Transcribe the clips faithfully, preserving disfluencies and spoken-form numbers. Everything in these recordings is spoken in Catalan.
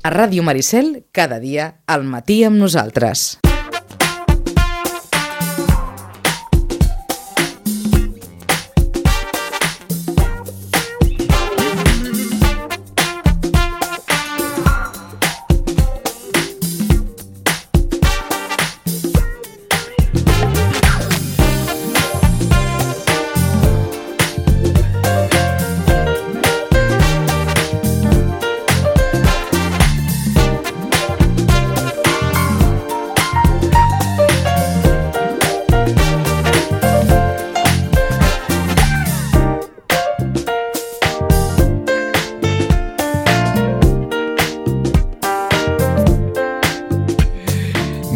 A Ràdio Maricel, cada dia, al matí amb nosaltres.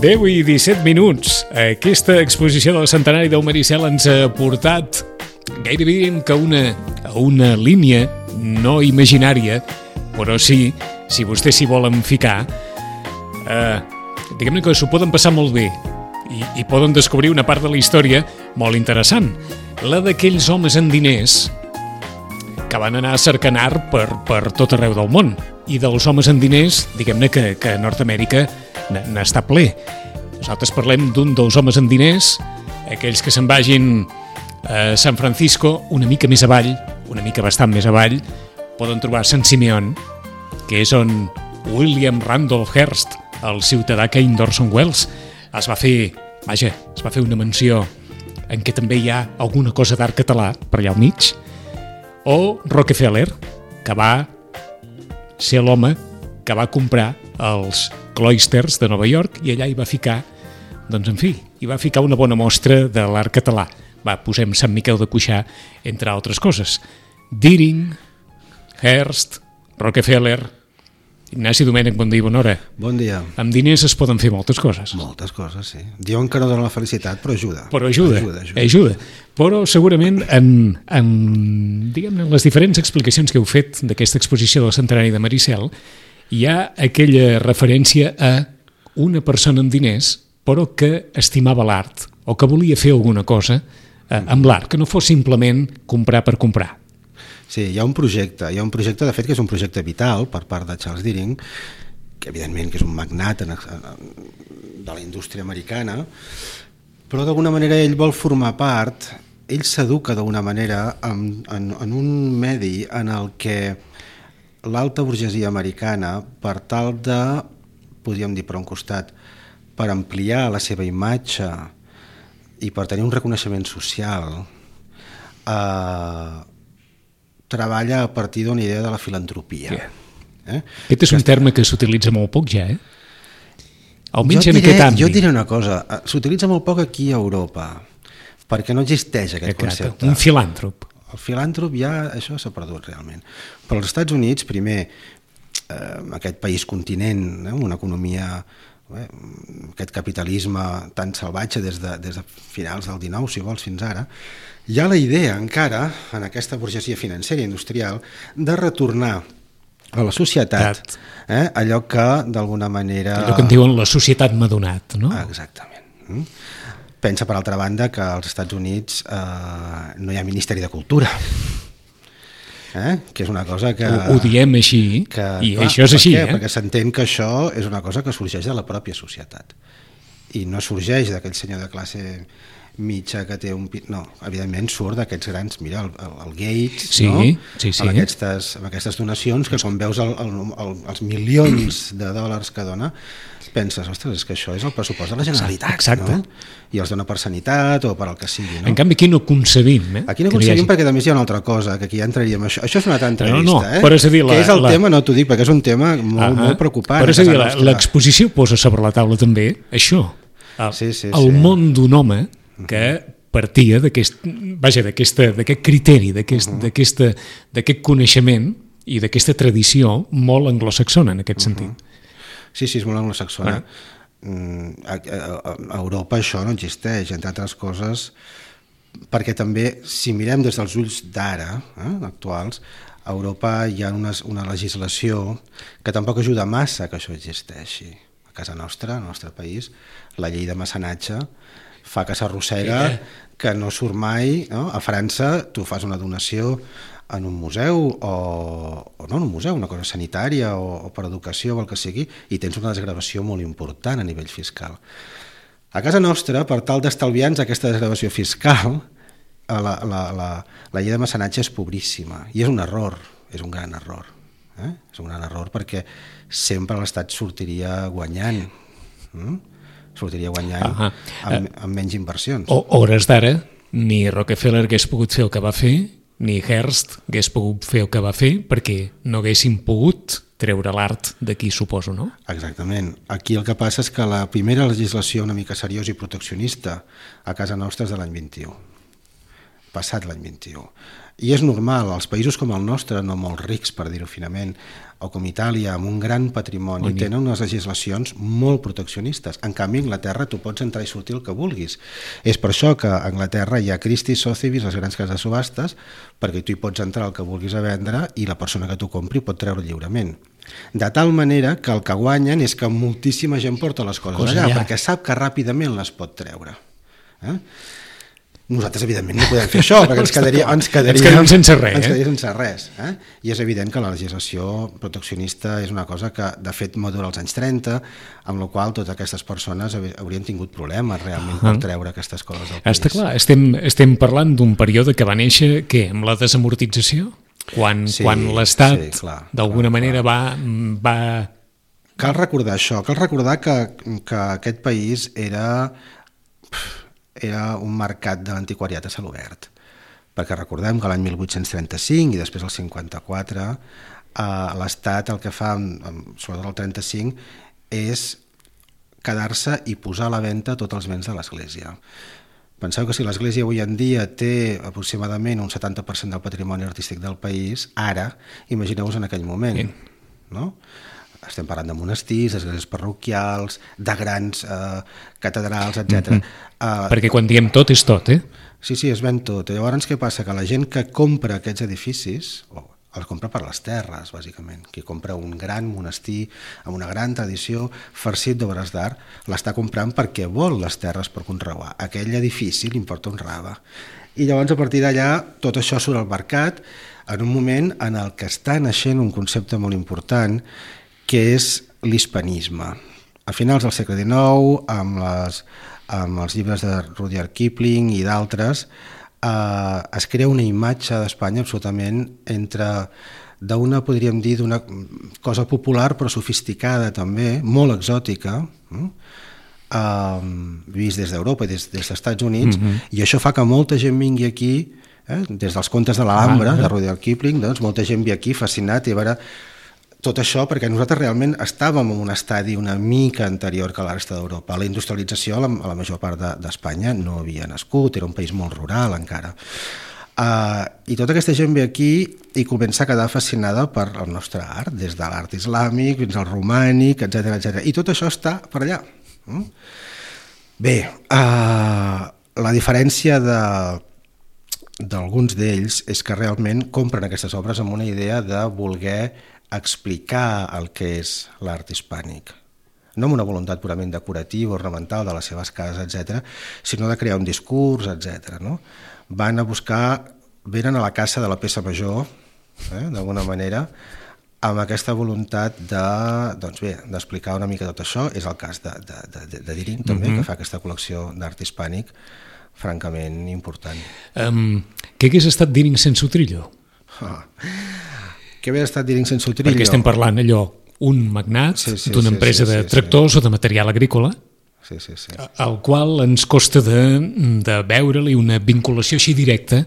deu i disset minuts. Aquesta exposició del centenari del Maricel ens ha portat gairebé diríem que una, a una línia no imaginària, però sí, si vostès s'hi volen ficar, eh, diguem-ne que s'ho poden passar molt bé i, i poden descobrir una part de la història molt interessant, la d'aquells homes amb diners que van anar a cercar art per, per tot arreu del món, i dels homes amb diners, diguem-ne que, que Nord-Amèrica n'està ple. Nosaltres parlem d'un dels homes amb diners, aquells que se'n vagin a San Francisco, una mica més avall, una mica bastant més avall, poden trobar Sant Simeon, que és on William Randolph Hearst, el ciutadà que d'Orson Welles, es va fer, vaja, es va fer una mansió en què també hi ha alguna cosa d'art català per allà al mig, o Rockefeller, que va ser l'home que va comprar els Cloisters de Nova York i allà hi va ficar, doncs en fi, hi va ficar una bona mostra de l'art català. Va, posem Sant Miquel de Cuixà, entre altres coses. Deering, Hearst, Rockefeller, Ignasi Domènech, bon dia i bona hora. Bon dia. Amb diners es poden fer moltes coses. Moltes coses, sí. Diuen que no dona la felicitat, però ajuda. Però ajuda, ajuda. ajuda. ajuda. Però segurament en, en, diguem-ne, en les diferents explicacions que heu fet d'aquesta exposició del centenari de Maricel, hi ha aquella referència a una persona amb diners, però que estimava l'art, o que volia fer alguna cosa eh, amb l'art, que no fos simplement comprar per comprar. Sí, hi ha un projecte, hi ha un projecte, de fet, que és un projecte vital per part de Charles Deering, que evidentment que és un magnat en, en, de la indústria americana, però d'alguna manera ell vol formar part, ell s'educa d'alguna manera en, en, en un medi en el que l'alta burgesia americana, per tal de, podríem dir per un costat, per ampliar la seva imatge i per tenir un reconeixement social, eh, treballa a partir d'una idea de la filantropia. Yeah. Eh? Aquest és un terme que s'utilitza molt poc ja, eh? Almenys jo en diré, aquest àmbit. Jo diré una cosa, s'utilitza molt poc aquí a Europa, perquè no existeix aquest Exacte. concepte. Un filàntrop. El filàntrop ja, això s'ha perdut realment. Però als Estats Units, primer, eh, aquest país continent, eh, una economia, eh, aquest capitalisme tan salvatge des de, des de finals del dinou, si vols, fins ara, hi ha la idea encara, en aquesta burgesia financera i industrial, de retornar a la societat eh, allò que d'alguna manera... Allò que en diuen la societat m'ha donat, no? Exactament. Pensa, per altra banda, que als Estats Units eh, no hi ha Ministeri de Cultura, eh? que és una cosa que... Ho, ho diem així, que, i clar, això és així. Per què? Eh? Perquè s'entén que això és una cosa que sorgeix de la pròpia societat i no sorgeix d'aquell senyor de classe mitja que té un... No, evidentment surt d'aquests grans... Mira, el, el, el Gates, sí, no? Sí, sí. Amb, aquestes, amb aquestes donacions que quan veus el, el, el, els milions de dòlars que dona, penses, ostres, és que això és el pressupost de la Generalitat. Exacte. No? I els dona per sanitat o per al que sigui. No? En canvi, aquí no concebim. Eh? Aquí no concebim hagi... perquè també hi ha una altra cosa, que aquí ja entraríem... Això, això és una altra entrevista, no, no, eh? Però és a dir, la, que és el la... tema, no t'ho dic, perquè és un tema molt, uh -huh. molt preocupant. Però és a dir, l'exposició posa sobre la taula també això, el, sí, sí, el sí. món d'un home que partia d'aquest, vaja, d'aquest criteri, d'aquest uh -huh. d'aquest coneixement i d'aquesta tradició molt anglosaxona en aquest uh -huh. sentit. Sí, sí, és molt anglosaxona. Uh. A, a, a Europa això no existeix, entre altres coses, perquè també, si mirem des dels ulls d'ara, eh, actuals, a Europa hi ha una, una legislació que tampoc ajuda massa que això existeixi. A casa nostra, al nostre país, la llei de mecenatge fa que s'arrossega, que no surt mai, no? A França tu fas una donació en un museu o, o no en un museu, una cosa sanitària o, o per educació o el que sigui, i tens una desgravació molt important a nivell fiscal. A casa nostra, per tal d'estalviar-nos aquesta desgravació fiscal, la, la, la, la llei de mecenatge és pobríssima, i és un error, és un gran error. Eh? És un gran error perquè sempre l'Estat sortiria guanyant, mm? sortiria guanyant uh -huh. amb, amb menys inversions. O hores d'ara, ni Rockefeller hagués pogut fer el que va fer, ni Hearst hagués pogut fer el que va fer, perquè no haguessin pogut treure l'art d'aquí, suposo, no? Exactament. Aquí el que passa és que la primera legislació una mica seriosa i proteccionista a casa nostra és de l'any vint-i-u, passat l'any vint-i-u. I és normal, els països com el nostre, no molt rics, per dir-ho finament, o com Itàlia, amb un gran patrimoni, Oni. tenen unes legislacions molt proteccionistes. En canvi, a Anglaterra tu pots entrar i sortir el que vulguis. És per això que a Anglaterra hi ha Christie's, Sotheby's, les grans cases de subhastes, perquè tu hi pots entrar el que vulguis a vendre i la persona que t'ho compri pot treure lliurement. De tal manera que el que guanyen és que moltíssima gent porta les coses Cosa allà, allà, perquè sap que ràpidament les pot treure. Eh? Nosaltres, evidentment, no podem fer això, perquè ens quedaríem, ens quedaríem, ens quedaríem sense res. Ens quedaríem sense res eh? I és evident que la legislació proteccionista és una cosa que, de fet, madura als anys trenta, amb la qual totes aquestes persones haurien tingut problemes realment uh -huh. per treure aquestes coses del país. Està clar, estem, estem parlant d'un període que va néixer, què, amb la desamortització? Quan, sí, quan l'Estat, sí, d'alguna manera, va, va... Cal recordar això, cal recordar que, que aquest país era... era un mercat de l'antiquariat a cel obert, perquè recordem que l'any mil vuit-cents trenta-cinc i després el cinquanta-quatre eh, l'Estat el que fa, sobretot el trenta-cinc, és quedar-se i posar a la venda tots els béns de l'Església. Penseu que si l'Església avui en dia té aproximadament un setanta per cent del patrimoni artístic del país, ara, imagineu-vos en aquell moment, no? Estem parlant de monestirs, d'esglésies parroquials, de grans eh, catedrals, etcètera. Mm-hmm. Uh, Perquè quan diem tot és tot, eh? Sí, sí, es ven tot. I llavors què passa? Que la gent que compra aquests edificis, oh, els compra per les terres, bàsicament. Qui compra un gran monestir amb una gran tradició, farcit d'obres d'art, l'està comprant perquè vol les terres per conrear. Aquell edifici li importa un rave. I llavors, a partir d'allà, tot això surt al mercat en un moment en el que està naixent un concepte molt important, que és l'hispanisme. A finals del segle dinou, amb, les, amb els llibres de Rudyard Kipling i d'altres, eh, es crea una imatge d'Espanya absolutament entre d'una, podríem dir, d'una cosa popular però sofisticada també, molt exòtica, eh, vist des d'Europa i des, des dels Estats Units, mm-hmm. i això fa que molta gent vingui aquí, eh, des dels contes de l'Alhambra, ah, de Rudyard Kipling, doncs molta gent ve aquí fascinat i a veure tot això perquè nosaltres realment estàvem en un estadi una mica anterior que la resta d'Europa. La industrialització a la, a la major part d'Espanya de, no havia nascut, era un país molt rural encara. Uh, I tota aquesta gent ve aquí i comença a quedar fascinada per el nostre art, des de l'art islàmic fins al romànic, etcètera, etcètera. I tot això està per allà. Mm? Bé, uh, la diferència de d'alguns d'ells és que realment compren aquestes obres amb una idea de voler explicar el que és l'art hispànic, no amb una voluntat purament decorativa, ornamental de les seves cases, etcètera, sinó de crear un discurs, etcètera. No? Van a buscar, venen a la caça de la peça major, eh, d'alguna manera, amb aquesta voluntat de, doncs bé, d'explicar una mica tot això. És el cas de, de, de, de Deering, també, mm-hmm. que fa aquesta col·lecció d'art hispànic francament important. Um, què hagués estat Deering sense Utrillo? Ah. Què havia estat Deering sense Utrillo? Perquè estem parlant allò, un magnat sí, sí, d'una sí, empresa sí, sí, de tractors sí. o de material agrícola, sí, sí, sí. al qual ens costa de, de veure-li una vinculació així directa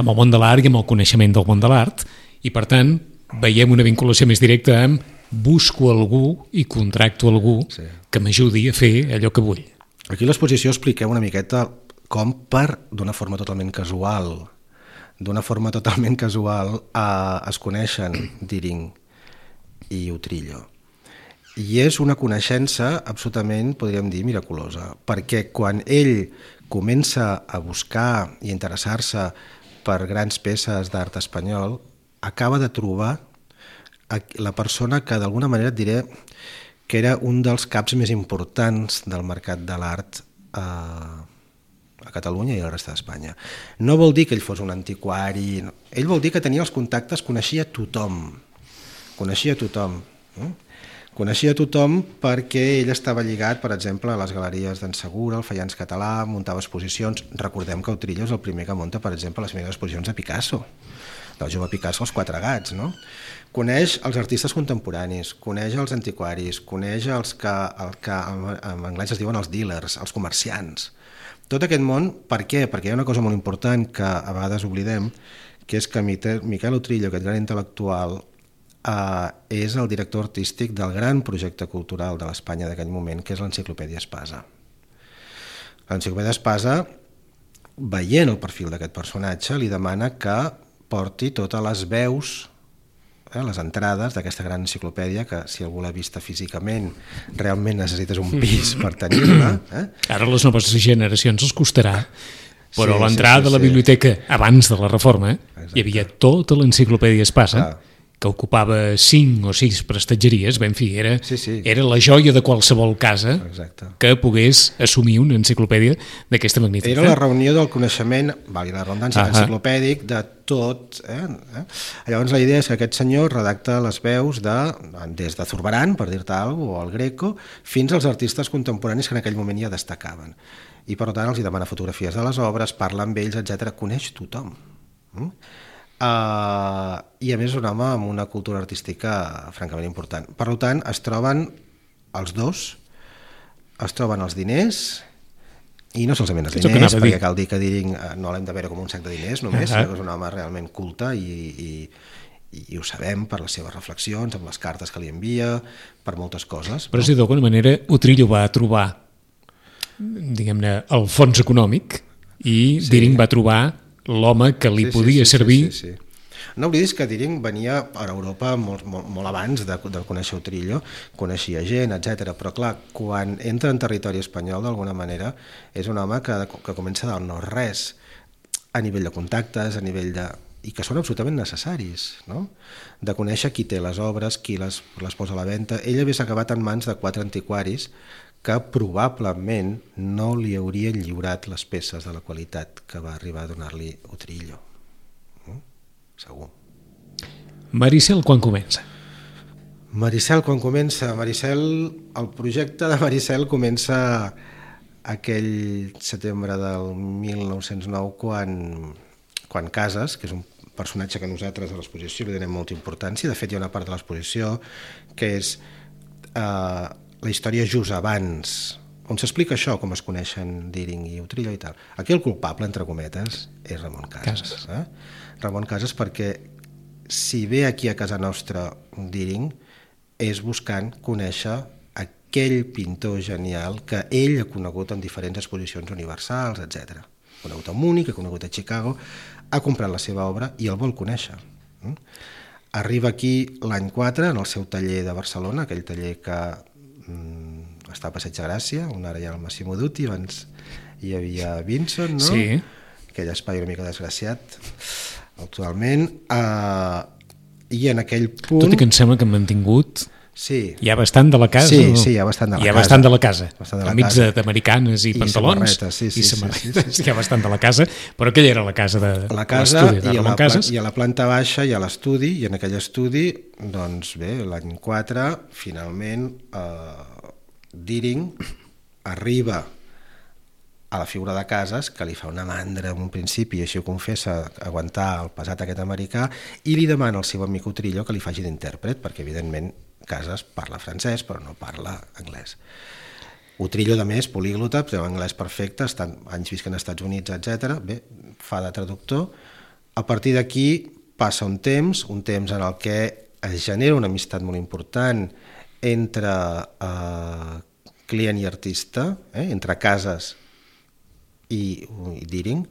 amb el món de l'art i amb el coneixement del món de l'art, i per tant veiem una vinculació més directa amb busco algú i contracto algú sí. que m'ajudi a fer allò que vull. Aquí a l'exposició expliquem una miqueta com per, d'una forma totalment casual, d'una forma totalment casual eh, es coneixen Deering i Utrillo. I és una coneixença absolutament, podríem dir, miraculosa, perquè quan ell comença a buscar i interessar-se per grans peces d'art espanyol, acaba de trobar la persona que d'alguna manera et diré que era un dels caps més importants del mercat de l'art eh, a Catalunya i a la resta d'Espanya. No vol dir que ell fos un antiquari, no. Ell vol dir que tenia els contactes, coneixia tothom, coneixia tothom. No? Coneixia tothom perquè ell estava lligat, per exemple, a les galeries d'en Segura, al Faians Català, muntava exposicions. Recordem que Utrillo és el primer que munta, per exemple, les primeres exposicions de Picasso, del jove Picasso, els Quatre Gats, no? Coneix els artistes contemporanis, coneix els antiquaris, coneix els que, el que en anglès es diuen els dealers, els comerciants. Tot aquest món, per què? Perquè hi ha una cosa molt important que a vegades oblidem, que és que Miquel Utrillo, aquest gran intel·lectual, eh, és el director artístic del gran projecte cultural de l'Espanya d'aquell moment, que és l'Enciclopèdia Espasa. L'Enciclopèdia Espasa, veient el perfil d'aquest personatge, li demana que porti totes les veus, eh, les entrades d'aquesta gran enciclopèdia, que si algú l'ha vista físicament realment necessites un pis per tenir-la. Eh? Ara les noves generacions els costarà, però Sí, l'entrada sí, sí, de la sí. biblioteca abans de la reforma, Exacte. hi havia tota l'enciclopèdia Espasa, Clar. que ocupava cinc o sis prestatgeries, ben fi, era, Sí, sí. era la joia de qualsevol casa Exacte. que pogués assumir una enciclopèdia d'aquesta magnitud. Era la reunió del coneixement, valgui la redundància, Ah, ah. enciclopèdic de tot. Eh? Eh? Llavors la idea és que aquest senyor redacta les veus de, des de Zurbarán, per dir-te alguna cosa, o el Greco, fins als artistes contemporanis que en aquell moment ja destacaven. I per tant els hi demana fotografies de les obres, parla amb ells, etcètera. Coneix tothom. Mm? Uh, I a més és un home amb una cultura artística francament important. Per tant, es troben els dos, es troben els diners, i no solament els És el que diners, anava a dir. perquè cal dir que Deering eh, no l'hem de veure com un sac de diners només, Ah, ah. sinó que és un home realment culte i, i, i ho sabem per les seves reflexions, amb les cartes que li envia, per moltes coses. Però és dir, d'alguna manera, Utrillo va trobar, diguem-ne, el fons econòmic i Sí. Deering va trobar l'home que li Sí, sí, podia sí, servir. Sí, sí, sí. No oblidis que Deering venia a Europa molt, molt, molt abans de, de conèixer Utrillo, coneixia gent, etcètera. Però clar, quan entra en territori espanyol d'alguna manera és un home que, que comença del no-res a nivell de contactes, a nivell de... i que són absolutament necessaris, no? De conèixer qui té les obres, qui les, les posa a la venda. Ell hagués acabat en mans de quatre antiquaris que probablement no li haurien lliurat les peces de la qualitat que va arribar a donar-li Utrillo. Mm? Segur. Maricel, quan comença? Maricel, quan comença? Maricel, el projecte de Maricel comença aquell setembre del mil nou-cents nou quan, quan Casas, que és un personatge que nosaltres a l'exposició li donem molta importància, de fet hi ha una part de l'exposició que és eh, la història just abans, on s'explica això, com es coneixen Deering i Utrillo i tal. Aquí el culpable, entre cometes, és Ramon Casas. Casas. Eh? Ramon Casas, perquè si ve aquí a casa nostra Deering és buscant conèixer aquell pintor genial que ell ha conegut en diferents exposicions universals, etcètera. Ha conegut a Múnich, ha conegut a Chicago, ha comprat la seva obra i el vol conèixer. Arriba aquí l'any quatre, en el seu taller de Barcelona, aquell taller que mm, està a Passeig de Gràcia, on ara hi ha el Massimo Dutti, abans hi havia Vincent, no? Sí. Aquell espai una mica desgraciat actualment, uh, i en aquell punt... Tot i que em sembla que han mantingut... Sí. Hi ha bastant de la casa? Sí, no? sí, hi ha bastant de la hi ha casa. bastant de la casa. Bastant de la Enmig casa. d'americanes i, I pantalons. samarretes, sí, sí, i sí, samarretes. sí, sí. Hi ha bastant de la casa, però aquella era la casa de La casa l'estudi de i a Ramon la, Casas. i a la planta baixa hi ha l'estudi, i en aquell estudi, doncs bé, l'any quatre, finalment, eh, Deering arriba a la figura de Casas, que li fa una mandra en un principi, i així ho confessa, aguantar el pesat aquest americà, i li demana al seu amic Utrillo que li faci d'intèrpret, perquè evidentment Casas parla francès però no parla anglès. Utrillo, de més, políglota, té anglès perfecte, està anys visquent als Estats Units, etcètera. Bé, fa de traductor. A partir d'aquí passa un temps, un temps en el que es genera una amistat molt important entre eh, client i artista, eh, entre Casas i, i Deering.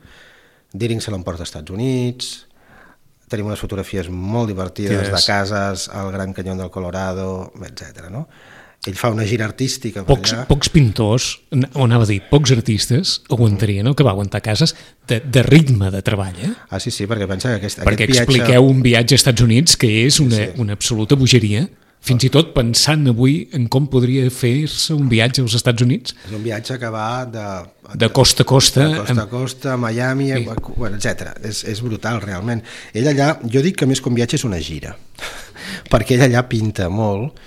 Deering se l'emporta als Estats Units, tenim unes fotografies molt divertides de Casas al Gran Canyón del Colorado, etcètera. No? Ell fa una gira artística per Pocs, allà. pocs pintors, o anava a dir, pocs artistes aguantarien el que va aguantar Casas de, de ritme de treball, eh? Ah, sí, sí, perquè pensa que aquest, Perquè aquest viatge... expliqueu un viatge als Estats Units que és una, Sí, sí. una absoluta bogeria. Fins i tot pensant avui en com podria fer-se un viatge als Estats Units. És un viatge que va de... De costa a costa. De costa a costa, a Miami, sí. bueno, etcètera. És, és brutal, realment. Ell allà, jo dic que més que un viatge és una gira, perquè ell allà pinta molt,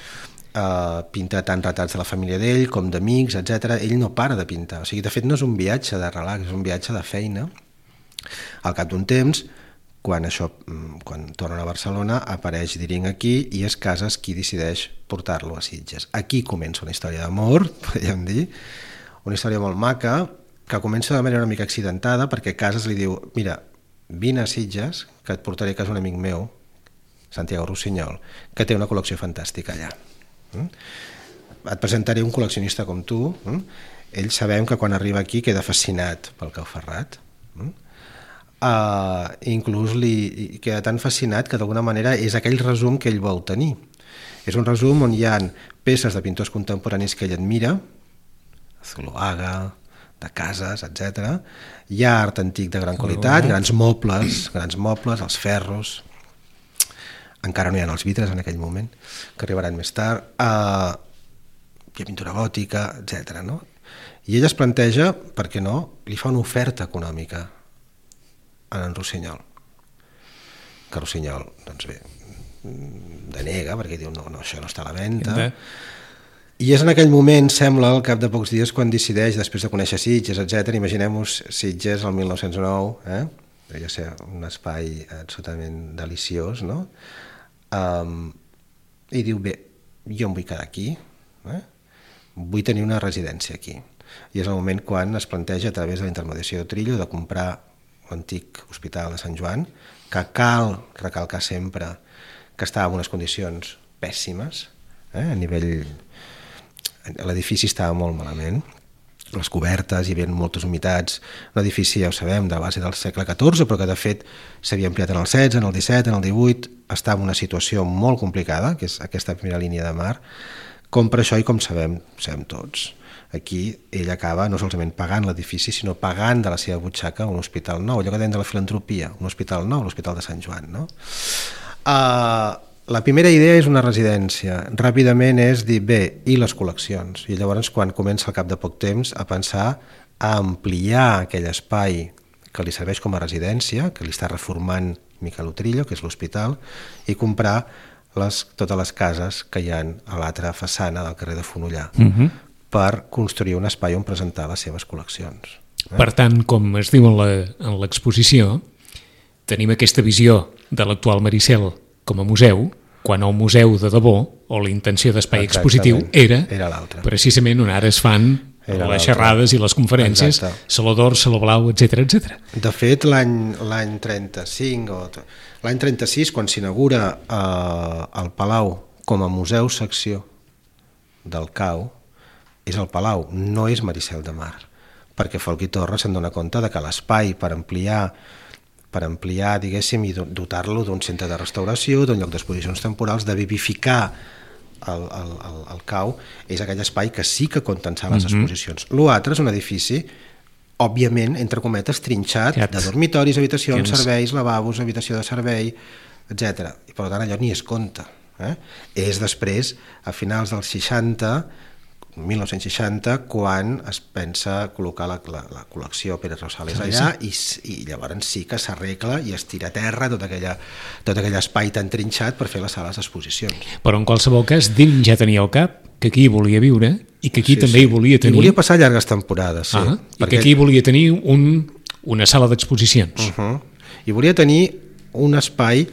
uh, pinta tant retrats de la família d'ell com d'amics, etcètera. Ell no para de pintar. O sigui, de fet, no és un viatge de relax, és un viatge de feina. Al cap d'un temps, quan això, quan tornen a Barcelona, apareix Deering aquí i és Casas qui decideix portar-lo a Sitges. Aquí comença una història d'amor, podríem dir, una història molt maca, que comença de manera una mica accidentada, perquè Casas li diu, mira, vine a Sitges, que et portaré a casa un amic meu, Santiago Rossinyol, que té una col·lecció fantàstica allà. Et presentaré un col·leccionista com tu. Ell sabem que quan arriba aquí queda fascinat pel Cau Ferrat. Uh, inclús li queda tan fascinat que d'alguna manera és aquell resum que ell vol tenir. És un resum on hi ha peces de pintors contemporanis que ell admira, Zuloaga, de Casas, etcètera. Hi ha art antic de gran qualitat, grans mobles, grans mobles, els ferros, encara no hi ha els vitres en aquell moment, que arribaran més tard, uh, hi ha pintura gòtica, etcètera. No? I ell es planteja, per què no, li fa una oferta econòmica a en Rossinyol, que Rossinyol doncs bé, denega perquè diu no, no, això no està a la venda. I és en aquell moment, sembla, al cap de pocs dies, quan decideix, després de conèixer Sitges, etcètera. Imaginem-vos Sitges el mil nou-cents nou, eh? Devia ser un espai absolutament deliciós, no? Um, I diu, bé, jo em vull quedar aquí, eh? Vull tenir una residència aquí. I és el moment quan es planteja, a través de la intermediació de Trillo, de comprar l'antic hospital de Sant Joan, que cal recalcar sempre que estava en unes condicions pèssimes, eh? A nivell... l'edifici estava molt malament, les cobertes, hi havia moltes humitats, un edifici, ja ho sabem, de base del segle catorze, però que de fet s'havia ampliat en el setze, en el disset, en el divuit, estava en una situació molt complicada, que és aquesta primera línia de mar, com per això i com sabem, sabem tots. Aquí ell acaba no solament pagant l'edifici, sinó pagant de la seva butxaca un hospital nou, allò que deien de la filantropia, un hospital nou, l'Hospital de Sant Joan. No? Uh, la primera idea és una residència, ràpidament és dir, bé, i les col·leccions? I llavors quan comença al cap de poc temps a pensar a ampliar aquell espai que li serveix com a residència, que li està reformant Miquel Utrillo, que és l'hospital, i comprar les, totes les cases que hi ha a l'altra façana del carrer de Fonollar. Uh-huh. Per construir un espai on presentar les seves col·leccions. Eh? Per tant, com es diu en l'exposició, tenim aquesta visió de l'actual Maricel com a museu, quan el museu de debò, o la intenció d'espai expositiu, era, era l'altre. Precisament on ara es fan era les xerrades i les conferències, Exacte. Saló d'Or, Saló Blau, etcètera, etcètera. De fet, l'any trenta-cinc o l'any trenta-sis, quan s'inaugura eh, el Palau com a museu secció del Cau, és el Palau, no és Maricel de Mar, perquè Folch i Torres se'n dona compte de que l'espai per ampliar, per ampliar, diguéssim, i dotar-lo d'un centre de restauració, d'un lloc d'exposicions temporals, de vivificar el, el, el, el Cau, és aquell espai que sí que contensar les mm-hmm. exposicions. L'altre és un edifici, òbviament, entre cometes, trinxat, Cat. de dormitoris, habitacions, Tens. serveis, lavabos, habitació de servei, etcètera. I per tant allò ni es compta. Eh? És després, a finals dels seixanta, mil nou-cents seixanta, quan es pensa col·locar la, la, la col·lecció Pérez Rosales allà i, i llavors sí que s'arregla i es tira a terra tot, aquella, tot aquell espai tan trinxat per fer les sales d'exposicions. Però en qualsevol cas, Deering ja tenia al cap que aquí volia viure i que aquí sí, també sí. hi volia tenir... I volia passar llargues temporades, sí. Ah, perquè... I que aquí volia tenir un, una sala d'exposicions. Uh-huh. I volia tenir un espai...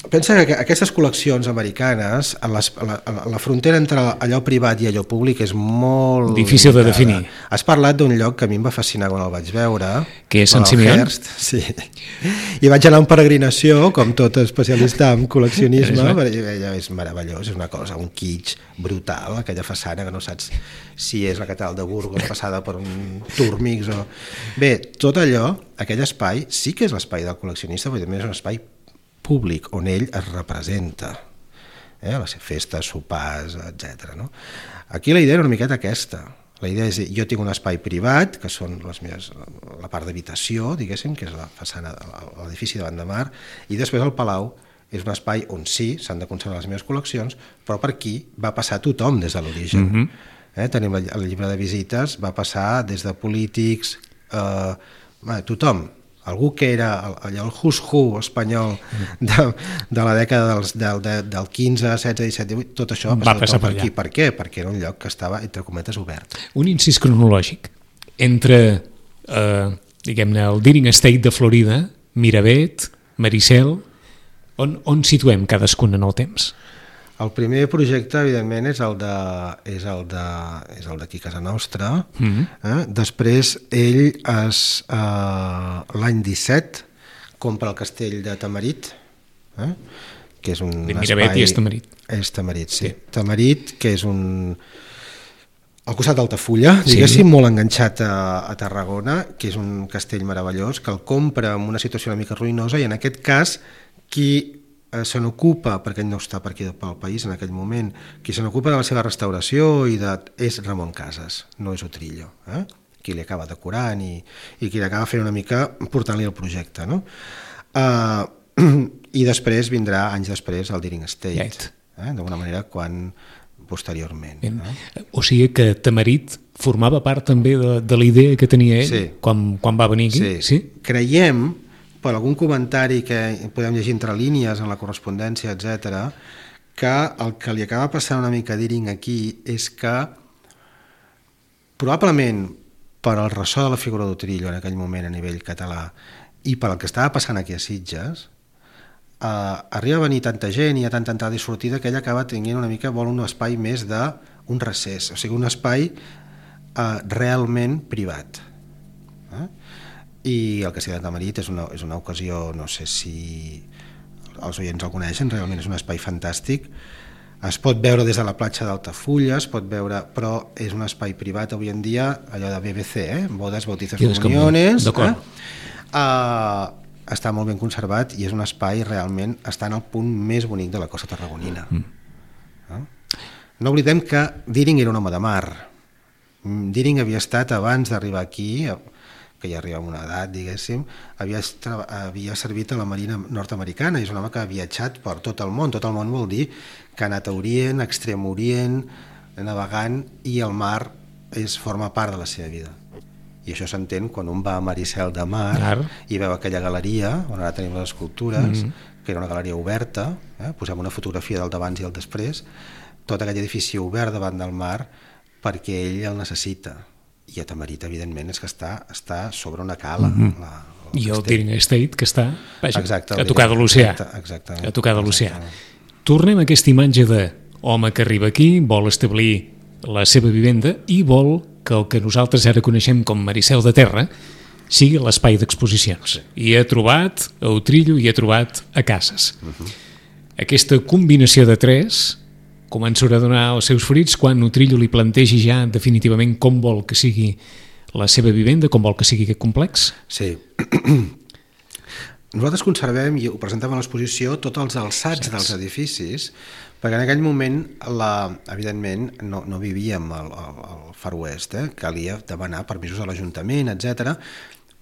Pensa que aquestes col·leccions americanes, a les, a la, a la frontera entre allò privat i allò públic és molt... Difícil limitada. De definir. Has parlat d'un lloc que a mi em va fascinar quan el vaig veure. Que és Sant Simeón? Sí. I vaig anar en peregrinació, com tot especialista en col·leccionisme, perquè és meravellós, és una cosa, un kitsch brutal, aquella façana que no saps si és la catedral de Burgos passada per un Turmix o... Bé, tot allò, aquell espai, sí que és l'espai del col·leccionista, però també és un espai públic, on ell es representa, eh? les festes, sopars, etcètera. No? Aquí la idea era una miqueta aquesta. La idea és dir, jo tinc un espai privat, que són les meves, la part d'habitació, diguéssim, que és la façana, l'edifici davant de mar, i després el palau és un espai on sí, s'han de conservar les meves col·leccions, però per aquí va passar tothom des de l'origen. Mm-hmm. eh? Tenim la, el llibre de visites, va passar des de polítics, eh, bé, tothom, algú que era allò, el who's who espanyol de, de la dècada dels, del, de, del quinze, setze, disset, divuit, tot això va passar, va passar per per aquí. Per què? Perquè era un lloc que estava, entre cometes, obert. Un incís cronològic. Entre, eh, diguem-ne, el Deering Estate de Florida, Miravet, Maricel, on, on situem cadascun en el temps? El primer projecte, evidentment, és el de, és el de, és el d'aquí a casa nostra. Mm-hmm. eh? Després, ell es, eh, l'any disset compra el castell de Tamarit, eh? que és un Miravet espai... i és Tamarit. És Tamarit, sí. sí. Tamarit, que és un... al costat d'Altafulla, diguéssim, sí. molt enganxat a, a Tarragona, que és un castell meravellós, que el compra en una situació una mica ruïnosa, i en aquest cas, qui se n'ocupa, perquè ell no està per aquí pel país en aquell moment, qui se n'ocupa de la seva restauració i de, és Ramon Casas, no és Utrillo, eh? qui li acaba decorant i, i qui li acaba fent una mica portant-li el projecte. No? Uh, I després vindrà, anys després, el Deering Estate, eh? d'alguna manera, quan posteriorment. Eh? O sigui que Tamarit formava part també de, de la idea que tenia ell sí. quan, quan va venir aquí? Sí. sí? Creiem, per algun comentari que podem llegir entre línies en la correspondència, etcètera, que el que li acaba passant una mica a Deering aquí és que probablement per al ressò de la figura d'Utrillo en aquell moment a nivell català i per el que estava passant aquí a Sitges, eh, arriba a venir tanta gent, hi ha tanta entrada i sortida que ell acaba tenint una mica, vol un espai més d'un recés, o sigui, un espai eh, realment privat. Eh? I el castell de Tamarit és una, és una ocasió, no sé si els oients el coneixen, realment és un espai fantàstic, es pot veure des de la platja d'Altafulla, es pot veure, però és un espai privat avui en dia, allò de B B C, eh? bodes, bautizos, comuniones, eh? uh, està molt ben conservat i és un espai realment, està en el punt més bonic de la costa tarragonina. Mm. Eh? No oblidem que Deering era un home de mar. Deering havia estat, abans d'arribar aquí, que ja arriba a una edat, diguéssim, havia, havia servit a la Marina nord-americana, i és un home que ha viatjat per tot el món. Tot el món vol dir que ha anat a Orient, a Extrem Orient, navegant, i el mar és, forma part de la seva vida. I això s'entén quan un va a Maricel de Mar Clar. i veu aquella galeria, on ara tenim les escultures, mm-hmm. que era una galeria oberta, eh? posem una fotografia del d'abans i el després, tot aquell edifici obert davant del mar, perquè ell el necessita. I a Tamarit, evidentment, és que està, està sobre una cala. Mm-hmm. la, I el Deering Estate, que està vaja, exacte, a tocar de l'oceà. Exacte, a tocar de l'oceà. Tornem a aquesta imatge d'home que arriba aquí, vol establir la seva vivenda i vol que el que nosaltres ara coneixem com Maricel de Terra sigui l'espai d'exposicions. Sí. I ha trobat a Utrillo i ha trobat a Casas. Uh-huh. Aquesta combinació de tres començarà a donar els seus fruits quan Utrillo li plantegi ja definitivament com vol que sigui la seva vivenda, com vol que sigui aquest complex? Sí. Nosaltres conservem, i ho presentem a l'exposició, tots els alçats dels edificis, perquè en aquell moment, la, evidentment, no, no vivíem al, al, al Far West, eh? calia demanar permisos a l'Ajuntament, etcètera,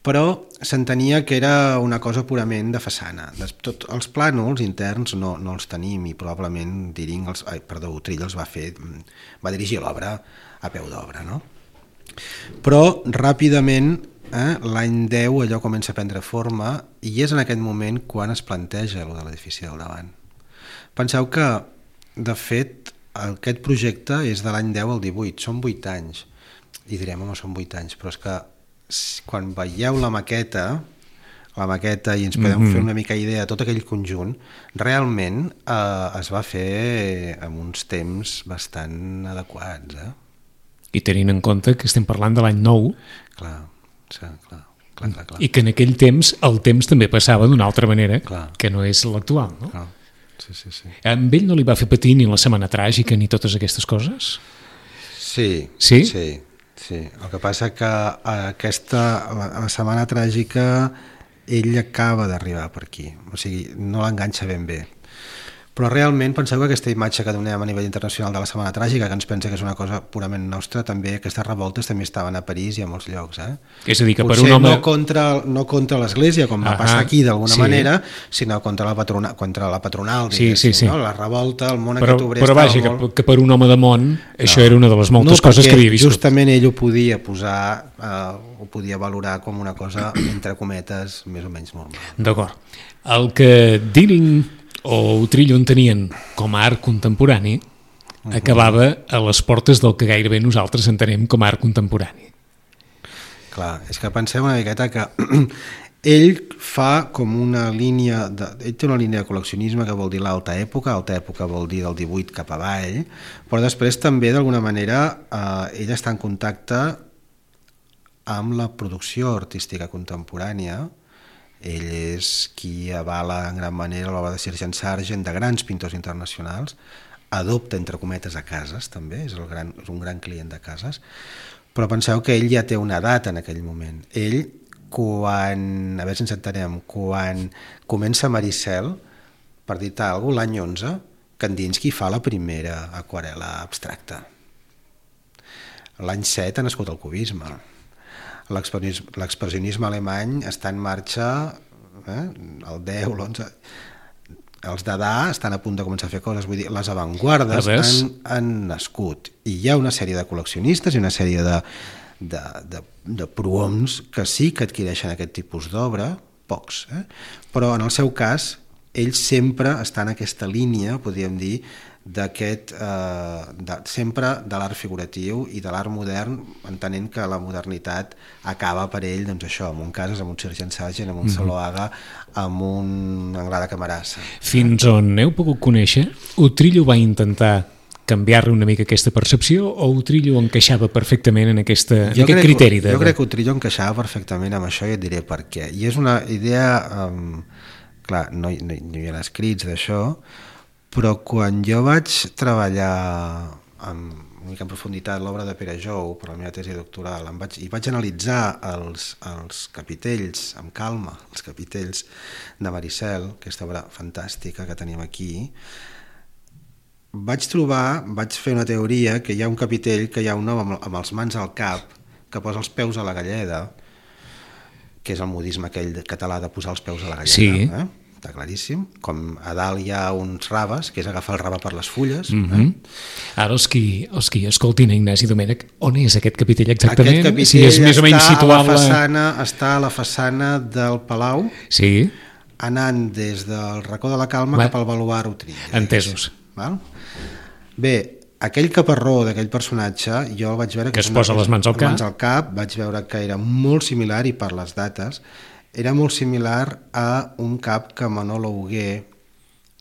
però s'entenia que era una cosa purament de façana. Tot, els plànols interns no, no els tenim, i probablement Deering, els, ai, perdó, Utrillo els va fer, va dirigir l'obra a peu d'obra, no? Però ràpidament, eh, l'any deu, allò comença a prendre forma, i és en aquest moment quan es planteja allò de l'edifici del davant. Penseu que, de fet, aquest projecte és de l'any deu al divuit, són vuit anys, i direm, home, són vuit anys, però és que quan veieu la maqueta, la maqueta i ens podem mm-hmm. fer una mica idea de tot aquell conjunt, realment eh, es va fer en uns temps bastant adequats. Eh? I tenint en compte que estem parlant de l'any nou. Clar, sí, clar, clar, clar, clar. I que en aquell temps el temps també passava d'una altra manera, clar. Que no és l'actual. No? Clar. Sí, sí, sí. Amb ell no li va fer patir ni la Setmana Tràgica ni totes aquestes coses? Sí, sí. sí. Sí, el que passa que aquesta, la, la Setmana Tràgica ell acaba d'arribar per aquí, o sigui, no l'enganxa ben bé. Però realment penseu que aquesta imatge que donem a nivell internacional de la Setmana Tràgica, que ens pensa que és una cosa purament nostra, també aquestes revoltes també estaven a París i a molts llocs. Eh? És a dir, que potser per un home... no contra, no contra l'Església, com va passar aquí d'alguna sí. manera, sinó contra la, patrona, contra la patronal, sí, sí, sí. no? La revolta, el món però, aquest obrer però vaja, molt... que, que per un home de món això no, era una de les moltes no, coses que havia viscut. Justament ell ho podia posar, eh, ho podia valorar com una cosa, entre cometes, més o menys normal. D'acord. El que Deering o Utrillo en tenien com a art contemporani uh-huh. acabava a les portes del que gairebé nosaltres entenem com a art contemporani. Clar, és que penseu una miqueta que ell fa com una línia, de, ell té una línia de col·leccionisme que vol dir l'alta època, alta època vol dir del divuit cap avall, però després també d'alguna manera eh, ell està en contacte amb la producció artística contemporània. Ell és qui avala en gran manera l'obra de Sergeant Sargent, de grans pintors internacionals, adopta entre cometes a Casas també, és, el gran, és un gran client de Casas, però penseu que ell ja té una edat en aquell moment. Ell, quan, a veure si ens entenem, quan comença Maricel, per dir-te alguna cosa, l'any onze, Kandinsky fa la primera aquarel·la abstracta. L'any set ha nascut el cubisme. L'expressionisme alemany està en marxa, eh, el deu, l'onze, els Dada estan a punt de començar a fer coses, vull dir, les avantguardes han, han nascut i hi ha una sèrie de col·leccionistes i una sèrie de, de, de, de prohoms que sí que adquireixen aquest tipus d'obra, pocs, eh? Però en el seu cas ell sempre està en aquesta línia, podríem dir, d'aquest, eh, de, sempre de l'art figuratiu i de l'art modern, entenent que la modernitat acaba per ell, doncs això, amb un Casas, amb un Sergeant Sargent, amb un mm-hmm. Zuloaga, amb un Anglada Camarasa. Fins on heu pogut conèixer, Utrillo va intentar canviar-li una mica aquesta percepció o Utrillo encaixava perfectament en, aquesta, en aquest criteri? De... Jo crec que Utrillo encaixava perfectament amb això i et diré per què. I és una idea, um, clar, no, no, no hi ha escrits d'això, però quan jo vaig treballar amb, una mica en profunditat l'obra de Pere Jou per la meva tesi doctoral em vaig, i vaig analitzar els, els capitells amb calma, els capitells de Maricel, aquesta obra fantàstica que tenim aquí, vaig trobar, vaig fer una teoria que hi ha un capitell que hi ha un home amb, amb els mans al cap que posa els peus a la galleda, que és el modisme aquell català de posar els peus a la galleda, sí. eh? Està claríssim, com a dalt hi ha uns raves, que és agafar el rave per les fulles. Mm-hmm. eh? Ara els qui, els qui escoltin Ignasi Domènech, on és aquest capitell exactament? Aquest capitell si és més o menys està, a la situable... façana, està a la façana del Palau, sí. anant des del racó de la Calma Va. cap al baluard Utrillo. Entesos. Val? Bé, aquell caparró d'aquell personatge, jo el vaig veure... Que, que es posa les mans al cap. Mans al cap, vaig veure que era molt similar, i per les dates, era molt similar a un cap que Manolo Hugué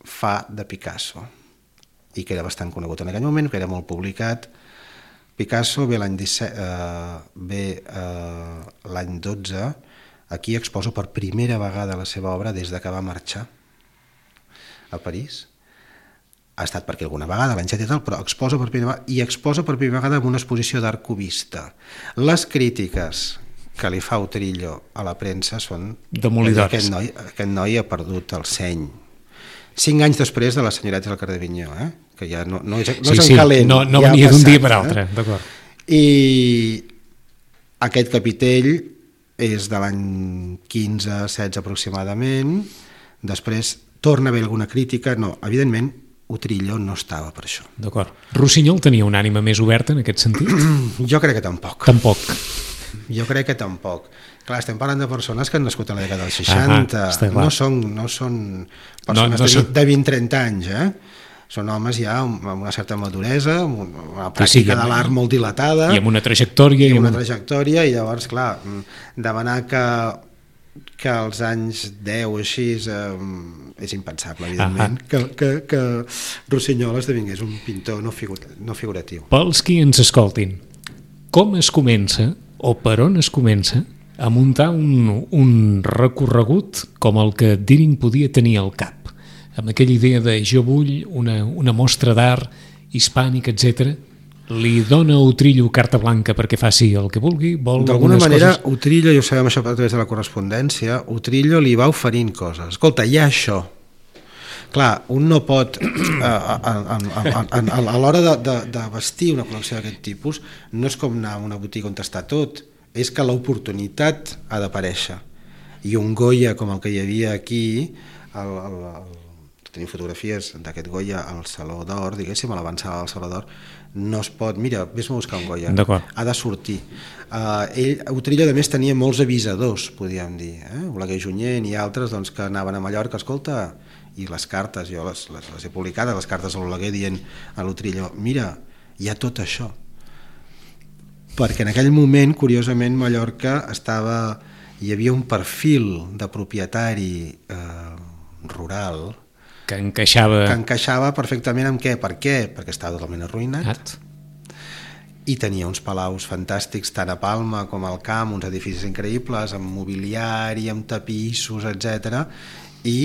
fa de Picasso i que era bastant conegut en aquell moment, que era molt publicat. Picasso ve l'any disset, eh, ve eh, l'any dotze, aquí exposa per primera vegada la seva obra des de que va marxar a París. Ha estat per aquí alguna vegada, l'any set i tal, però exposa per primera vegada, i exposa per primera vegada en una exposició d'art cubista. Les crítiques que li fa Utrillo a la premsa són demolidores. Aquest noi, aquest noi ha perdut el seny. Cinc anys després de les senyoretes del carrer Vinyó, eh? Que ja no, no és, no sí, és en sí, calent. No, no ja venia d'un dia per eh? altre, d'acord. I aquest capitell és de l'any quinze setze aproximadament, després torna a haver alguna crítica, no, evidentment Utrillo no estava per això. D'acord. Rossinyol tenia una ànima més oberta en aquest sentit? Jo crec que tampoc. Tampoc. Jo crec que tampoc. Clar, estem parlant de persones que han nascut a la dècada dels seixanta, ah, no són, no són persones no, no són... de vint trenta anys, eh? Són homes ja amb una certa maduresa, amb una pràctica sí, sí, de l'art molt dilatada. I amb una trajectòria. I amb una trajectòria, i llavors, clar, demanar que, que als anys deu o així eh, és impensable, evidentment, ah, que, que, que Rossinyol esdevingués un pintor no, figur, no figuratiu. Pels qui ens escoltin, com es comença o per on es comença a muntar un, un recorregut com el que Deering podia tenir al cap, amb aquella idea de jo vull una, una mostra d'art hispànic, etcètera. Li dona a Utrillo carta blanca perquè faci el que vulgui? D'alguna manera, coses... Utrillo, i ho sabem això a través de la correspondència, Utrillo li va oferint coses. Escolta, hi ha això. clar, un no pot a, a, a, a, a, a l'hora de, de, de vestir una col·lecció d'aquest tipus, no és com anar a una botiga on està tot, és que l'oportunitat ha d'aparèixer, i un Goya com el que hi havia aquí, el, el, el, tenim fotografies d'aquest Goya al Saló d'Or, diguéssim, a l'avançada del Saló d'Or, no es pot, mira, vés-me a buscar un Goya, ha de sortir. Uh, ell, Utrillo, a més, tenia molts avisadors, podríem dir, eh? Oleguer Junyent i altres doncs, que anaven a Mallorca, escolta, i les cartes, jo les, les, les he publicades, les cartes a l'Oleguer dient a l'Utrillo, mira, hi ha tot això. Perquè en aquell moment, curiosament, Mallorca estava, hi havia un perfil de propietari eh, rural que encaixava... que encaixava perfectament amb què? Per què? Perquè estava totalment arruïnat. At. I tenia uns palaus fantàstics tant a Palma com al Camp, uns edificis increïbles, amb mobiliari, amb tapissos, etcètera. I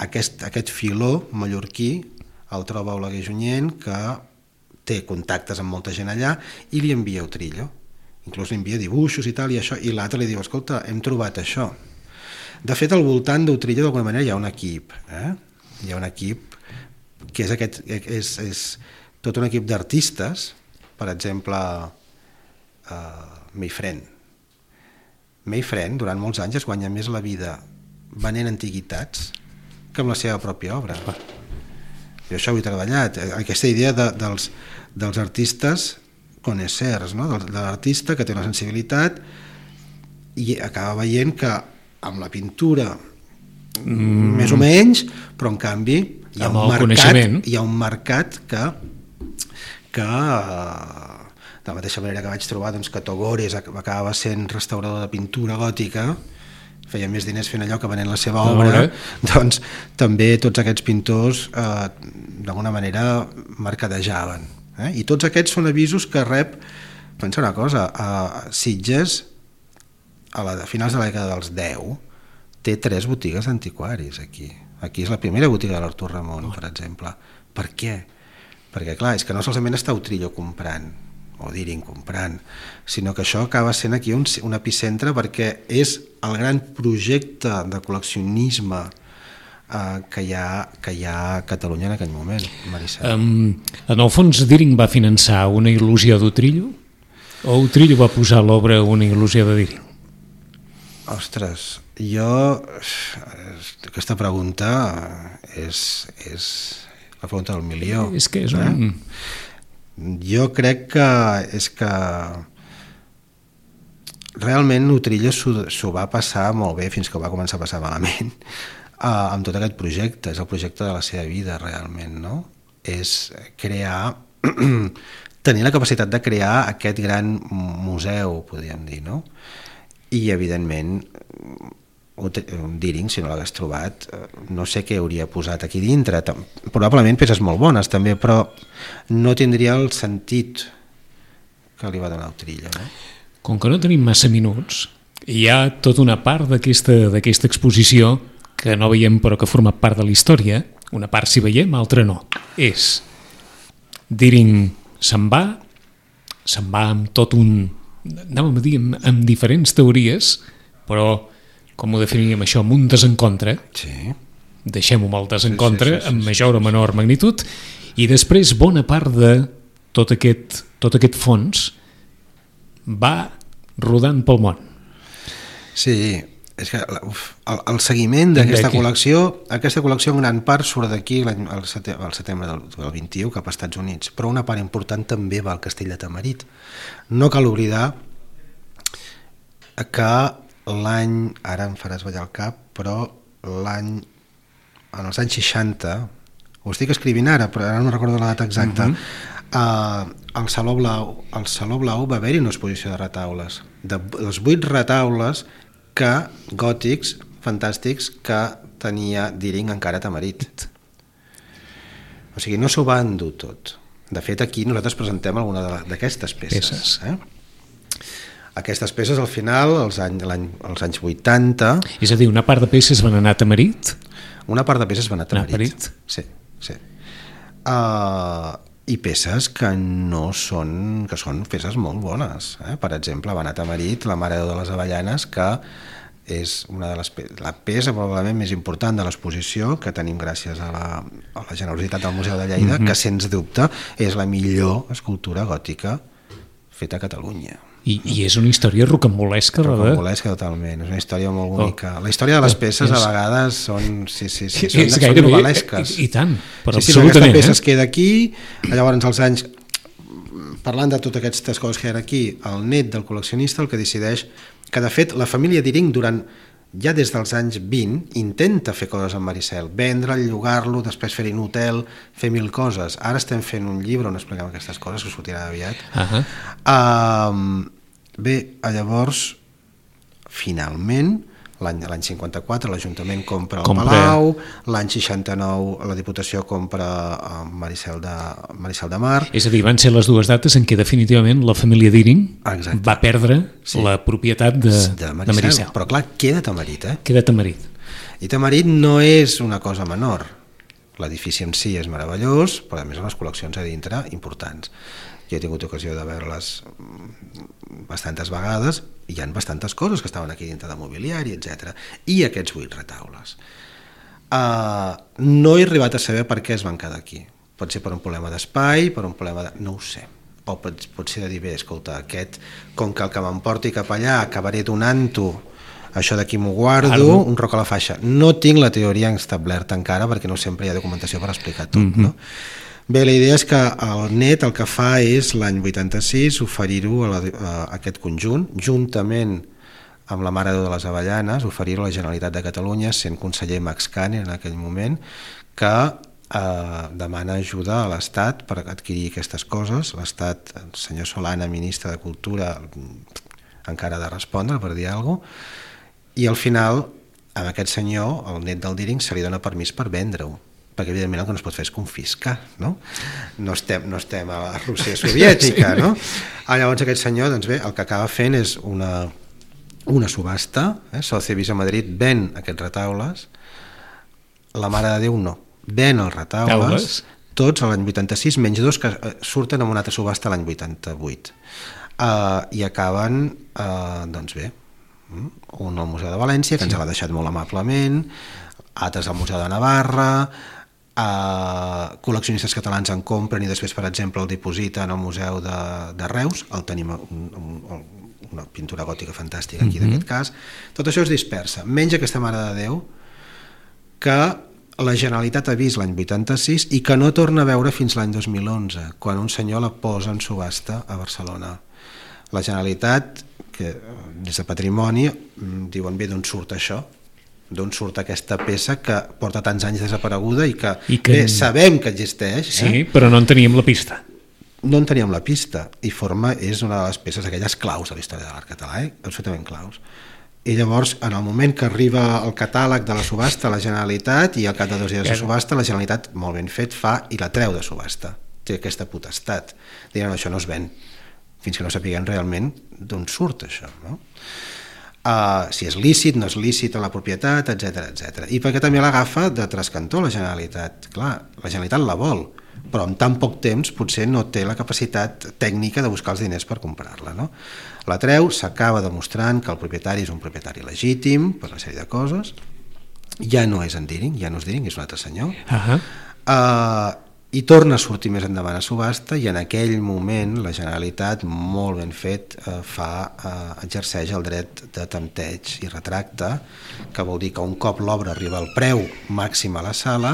aquest, aquest filó mallorquí el troba Oleguer Junyent, que té contactes amb molta gent allà, i li envia Utrillo. Inclús li envia dibuixos i tal, i, això, i l'altre li diu, escolta, hem trobat això. De fet, al voltant d'Utrillo, d'alguna manera, hi ha un equip, eh? Hi ha un equip que és, aquest, és, és tot un equip d'artistes, per exemple, uh, Mayfriend. Mayfriend, durant molts anys, es guanya més la vida venent antiguitats que amb la seva pròpia obra. Jo això ho he treballat, aquesta idea de, dels, dels artistes connoisseurs, no? de, de l'artista que té una sensibilitat i acaba veient que amb la pintura Mm. més o menys, però en canvi hi ha, un mercat, hi ha un mercat que que de la mateixa manera que vaig trobar doncs, que Togores acabava sent restaurador de pintura gòtica, feia més diners fent allò que venent la seva obra, doncs també tots aquests pintors eh, d'alguna manera mercadejaven, eh? I tots aquests són avisos que rep. Pensa una cosa, a Sitges a, la, a finals de la dècada dels deu té tres botigues d'antiquaris aquí. Aquí és la primera botiga de l'Artur Ramon, per exemple. Per què? Perquè, clar, és que no solament està Utrillo comprant, o Diring comprant, sinó que això acaba sent aquí un, un epicentre perquè és el gran projecte de col·leccionisme eh, que, hi ha, que hi ha a Catalunya en aquell moment, Maricel. Um, en el fons, Diring va finançar una il·lusió d'Utrillo? O Utrillo va posar a l'obra una il·lusió de Diring? Ostres, jo aquesta pregunta és, és la pregunta del milió. És que és un... Eh? Jo crec que és que realment Utrillo s'ho va passar molt bé fins que ho va començar a passar malament uh, amb tot aquest projecte. És el projecte de la seva vida realment, no? És crear tenir la capacitat de crear aquest gran museu, podríem dir, no? I evidentment Diring, si no l'hagués trobat, no sé què hauria posat aquí dintre, probablement peces molt bones també, però no tindria el sentit que li va donar Utrillo, no? Com que no tenim massa minuts, hi ha tota una part d'aquesta d'aquesta exposició que no veiem però que forma part de la història, una part si veiem, altra no. És Diring se'n va, se'n va amb tot un... anàvem a dir amb, amb diferents teories, però com ho definiríem això, amb un desencontre, sí. Deixem-ho amb el desencontre, sí, sí, sí, amb sí, major sí, o menor magnitud, i després bona part de tot aquest, tot aquest fons va rodant pel món. Sí, és que uf, el, el seguiment d'aquesta col·lecció, aquesta col·lecció en gran part surt d'aquí al setembre del, del vint-i-u cap als Estats Units, però una part important també va al Castell de Tamarit. No cal oblidar que l'any, ara em faràs ballar el cap, però l'any, en els anys seixanta, ho estic escrivint ara, però ara no recordo la data exacta, uh-huh. uh, al Saló Blau, al Saló Blau va haver-hi una exposició de retaules, de les vuit retaules que gòtics fantàstics que tenia Diring encara a Tamarit. O sigui, no s'ho va endur tot. De fet, aquí nosaltres presentem alguna d'aquestes peces. peces. Eh? Aquestes peces, al final, als anys, als anys vuitanta... És a dir, una part de peces van anar a Tamarit? Una part de peces van anar a Tamarit. Tamarit. Sí, sí. Uh, I peces que no són... que són peces molt bones. Eh? Per exemple, van anar a Tamarit la Mare de les Avellanes, que és una de les la peça probablement més important de l'exposició que tenim gràcies a la, a la generositat del Museu de Lleida, mm-hmm. que sens dubte és la millor escultura gòtica feta a Catalunya. I, i és una història rocambolesca, rocambolesca totalment, és una història molt bonica. Oh. La història de les peces a vegades són, sí, sí, sí, són, és són novel·lesques. I, i tant, però sí, sí, absolutament. Aquesta peça eh? es queda aquí, llavors als anys, parlant de totes aquestes coses que hi ha aquí, el net del col·leccionista el que decideix, que de fet la família Diring durant, ja des dels anys vint, intenta fer coses amb Maricel, vendre'l, llogar-lo, després fer-hi un hotel, fer mil coses. Ara estem fent un llibre on expliquem aquestes coses, que sortirà aviat. Uh-huh. Uh, bé, llavors, finalment, l'any l'any cinquanta-quatre l'Ajuntament compra el compra. Palau, l'any seixanta-nou la Diputació compra Maricel de, Maricel de Mar. És a dir, van ser les dues dates en què definitivament la família Diring Exacte. va perdre sí. la propietat de, de, Maricel. de Maricel. Però clar, queda Tamarit, eh? Queda Tamarit. I Tamarit no és una cosa menor. L'edifici en si és meravellós, però a més les col·leccions a dintre importants. Jo he tingut ocasió de veure-les bastantes vegades i hi ha bastantes coses que estaven aquí dintre de mobiliari, etcètera. I aquests vuit retaules. Uh, no he arribat a saber per què es van quedar aquí. Pot ser per un problema d'espai, per un problema de... no ho sé. O pot, pot ser de dir, bé, escolta, aquest, com que el que m'emporti cap allà acabaré donant-ho, això d'aquí m'ho guardo, Ardo. un roc a la faixa. No tinc la teoria establerta encara perquè no sempre hi ha documentació per explicar tot, mm-hmm. no? Bé, la idea és que el net el que fa és l'any vuitanta-sis oferir-ho a, a aquest conjunt, juntament amb la Mare de Déu de les Avellanes, oferir-ho a la Generalitat de Catalunya, sent conseller Max Kane en aquell moment, que eh, demana ajuda a l'Estat per adquirir aquestes coses. L'Estat, el senyor Solana, ministre de Cultura, encara ha de respondre per dir alguna cosa, i al final, a aquest senyor, el net del Diring, se li dona permís per vendre-ho, perquè evidentment el que no es pot fer és confiscar, no? No estem, no estem a la Rússia soviètica, sí. no? Ah, llavors aquest senyor, doncs bé, el que acaba fent és una, una subhasta, eh? Sotheby's a Madrid ven aquests retaules, la Mare de Déu no, ven els retaules, Taules. tots a l'any vuitanta-sis, menys dos que surten en una altra subhasta l'any vuitanta-vuit. Uh, I acaben, uh, doncs bé, un al Museu de València, que sí. ens l'ha deixat molt amablement, altres al Museu de Navarra, Uh, col·leccionistes catalans en compren i després, per exemple, el dipositen al Museu de, de Reus, el tenim un, un, una pintura gòtica fantàstica aquí, mm-hmm. d'aquest cas. Tot això es dispersa, menys aquesta Mare de Déu que la Generalitat ha vist l'any vuitanta-sis i que no torna a veure fins l'any dos mil onze, quan un senyor la posa en subhasta a Barcelona. La Generalitat, que des de Patrimoni, diuen, bé, d'on surt això? D'on surt aquesta peça que porta tants anys desapareguda i que, I que... bé, sabem que existeix. Sí, eh? però no en teníem la pista. No en teníem la pista, i forma, és una de les peces aquelles claus de la història de l'art català, eh? absolutament claus. I llavors, en el moment que arriba el catàleg de la subhasta a la Generalitat, i al cap de dos dies de subhasta, la Generalitat, molt ben fet, fa i la treu de subhasta. Té aquesta potestat. Diuen, això no es ven, fins que no sapiguem realment d'on surt això, no? Uh, si és lícit, no és lícit a la propietat, etcètera, etcètera. I perquè també l'agafa de trascantó la Generalitat. Clar, la Generalitat la vol, però en tan poc temps potser no té la capacitat tècnica de buscar els diners per comprar-la, no? La treu, s'acaba demostrant que el propietari és un propietari legítim per una sèrie de coses, ja no és en Diring, ja no és Diring, és un altre senyor, uh-huh. uh, i torna a sortir més endavant a subhasta, i en aquell moment la Generalitat, molt ben fet, eh, fa, eh, exerceix el dret de tempteig i retracte, que vol dir que un cop l'obra arriba al preu màxim a la sala,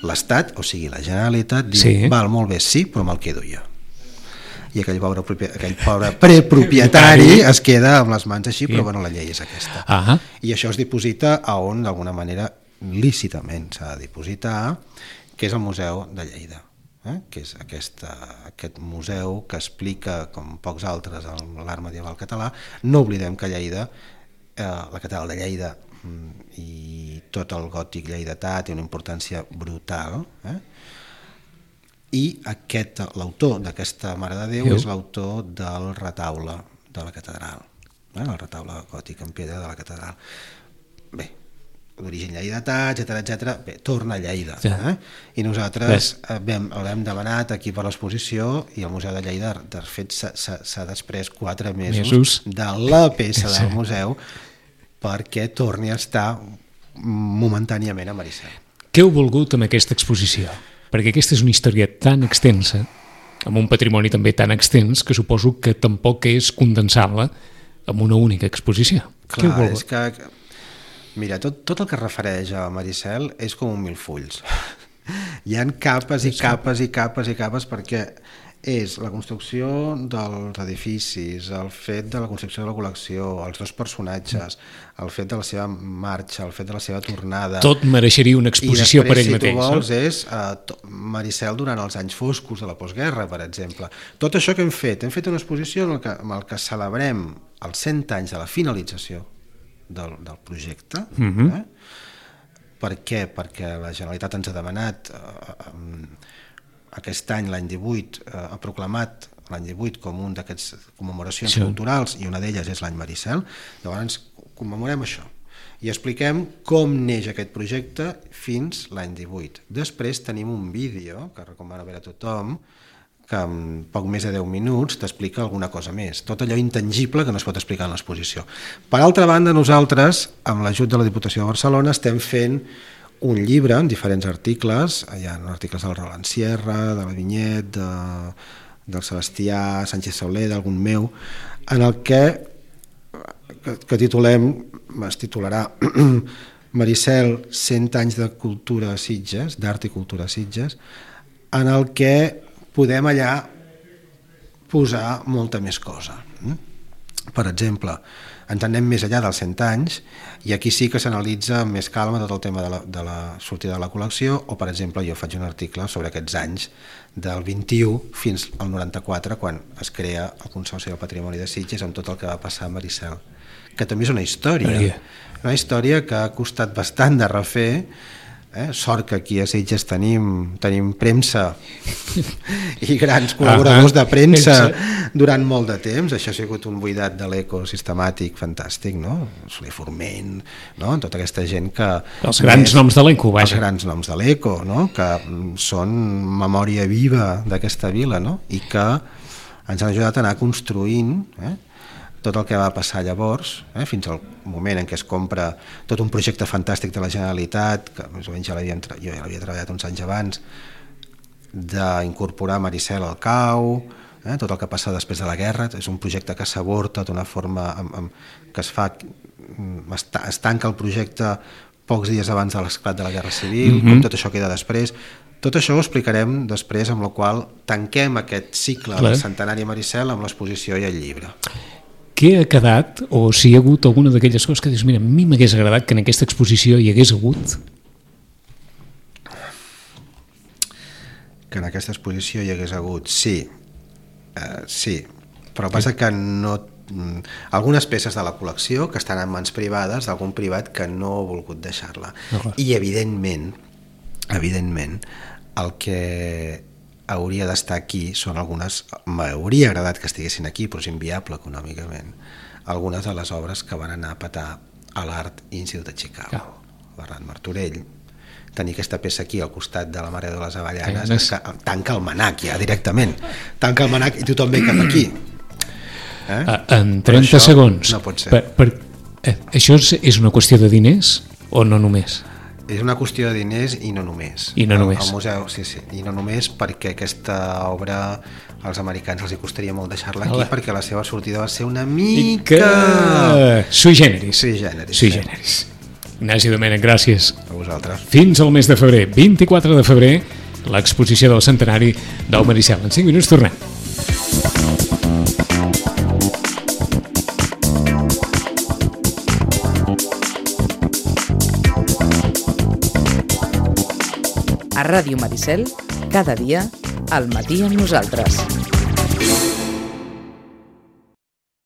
l'Estat, o sigui la Generalitat, diu, sí. val, molt bé, sí, però me'l quedo jo. I aquell pobre, aquell pobre prepropietari es queda amb les mans així, però bueno, la llei és aquesta. Uh-huh. I això es diposita a on, d'alguna manera, lícitament s'ha de dipositar, que és el Museu de Lleida, eh? que és aquesta, aquest museu que explica, com pocs altres, l'art medieval català. No oblidem que Lleida, eh, la catedral de Lleida i tot el gòtic lleidatà té una importància brutal, eh? I aquest, l'autor d'aquesta Mare de Déu és l'autor del retaule de la catedral, eh? el retaule gòtic en pedra de la catedral. Bé, d'origen lleidatà, etcètera, etcètera, bé, torna a Lleida. Ja. Eh? I nosaltres vam, l'hem demanat aquí per l'exposició, i el Museu de Lleida, de fet, s'ha després quatre mesos, mesos de la peça del museu perquè torni a estar momentàniament a Maricel. Què heu volgut amb aquesta exposició? Perquè aquesta és una història tan extensa, amb un patrimoni també tan extens, que suposo que tampoc és condensar-la en una única exposició. Què heu Clar, volgut? és que... Mira, tot, tot el que es refereix a Maricel és com un mil fulls. Hi ha capes i capes i capes i capes perquè és la construcció dels edificis, el fet de la construcció de la col·lecció, els dos personatges, el fet de la seva marxa, el fet de la seva tornada... Tot mereixeria una exposició per ell si mateix. I després, si tu vols, no? és uh, Maricel durant els anys foscos de la postguerra, per exemple. Tot això que hem fet, hem fet una exposició en el que, en el que celebrem els cent anys de la finalització del, del projecte. Uh-huh. eh? Per què? Perquè la Generalitat ens ha demanat... Uh, um, aquest any, l'any divuit, eh, ha proclamat l'any divuit com un d'aquests commemoracions sí. culturals, i una d'elles és l'any Maricel. Llavors commemorem això i expliquem com neix aquest projecte fins l'any divuit. Després tenim un vídeo que recomano veure a tothom, que en poc més de deu minuts t'explica alguna cosa més, tot allò intangible que no es pot explicar en l'exposició. Per altra banda, nosaltres, amb l'ajut de la Diputació de Barcelona, estem fent un llibre en diferents articles, hi ha articles del Roland Sierra, de la Vinyet, de, del Sebastià Sánchez Sauler, d'algun meu, en el que, que, que titulem, es titularà Maricel, cent anys de cultura a Sitges, d'art i cultura a Sitges, en el que podem allà posar molta més cosa. Per exemple, ens anem més enllà dels cent anys i aquí sí que s'analitza amb més calma tot el tema de la, de la sortida de la col·lecció, o per exemple jo faig un article sobre aquests anys del vint-i-u fins al noranta-quatre, quan es crea el Consorci del Patrimoni de Sitges, amb tot el que va passar a Maricel, que també és una història, una història que ha costat bastant de refer. Eh? Sort que aquí a Sitges tenim, tenim premsa i grans col·laboradors de premsa durant molt de temps. Això ha sigut un buidat de l'eco sistemàtic fantàstic, no? Soler Forment, no? Tota aquesta gent que... Els grans més, noms de l'eco, vaja. Els grans noms de l'eco, no? Que són memòria viva d'aquesta vila, no? I que ens han ajudat a anar construint... Eh? tot el que va passar llavors, eh, fins al moment en què es compra tot un projecte fantàstic de la Generalitat, que més o menys ja l'havia, jo ja l'havia treballat uns anys abans, d'incorporar Maricel al C A U, eh, tot el que passa després de la guerra. És un projecte que s'aborta d'una forma amb, amb, que es fa, es, es tanca el projecte pocs dies abans de l'esclat de la Guerra Civil, mm-hmm. com tot això queda després. Tot això ho explicarem després, amb la qual tanquem aquest cicle Clar. del centenari Maricel amb l'exposició i el llibre. Què ha quedat, o si hi ha hagut alguna d'aquelles coses que dius, mira, a mi m'hagués agradat que en aquesta exposició hi hagués hagut? Que en aquesta exposició hi hagués hagut, sí, uh, sí, però passa que no... algunes peces de la col·lecció que estan en mans privades d'algun privat que no ha volgut deixar-la. No, I evidentment, evidentment, el que hauria d'estar aquí són algunes, m'hauria agradat que estiguessin aquí, però és inviable econòmicament, algunes de les obres que van anar a petar a l'Art Institute de Chicago. Oh. Bernat Martorell, tenir aquesta peça aquí al costat de la Mare de les Avellanes, eh, que tanca el manac ja directament, tanca el manac i tothom ve cap aquí. Eh? En trenta segons, no pot ser. Per, per, eh, això és, és una qüestió de diners o no només? És una qüestió de diners i no només. I no només. El, el museu, sí, sí, i no només perquè aquesta obra als americans els hi costaria molt deixar-la aquí, Hola. perquè la seva sortida va ser una mica... Que... Sui generis. Sui generis. Sui generis. Ignasi Domènech, gràcies. A vosaltres. Fins al mes de febrer, vint-i-quatre de febrer, l'exposició del centenari del Maricel. En cinc minuts tornem. A Ràdio Maricel, cada dia, al matí amb nosaltres.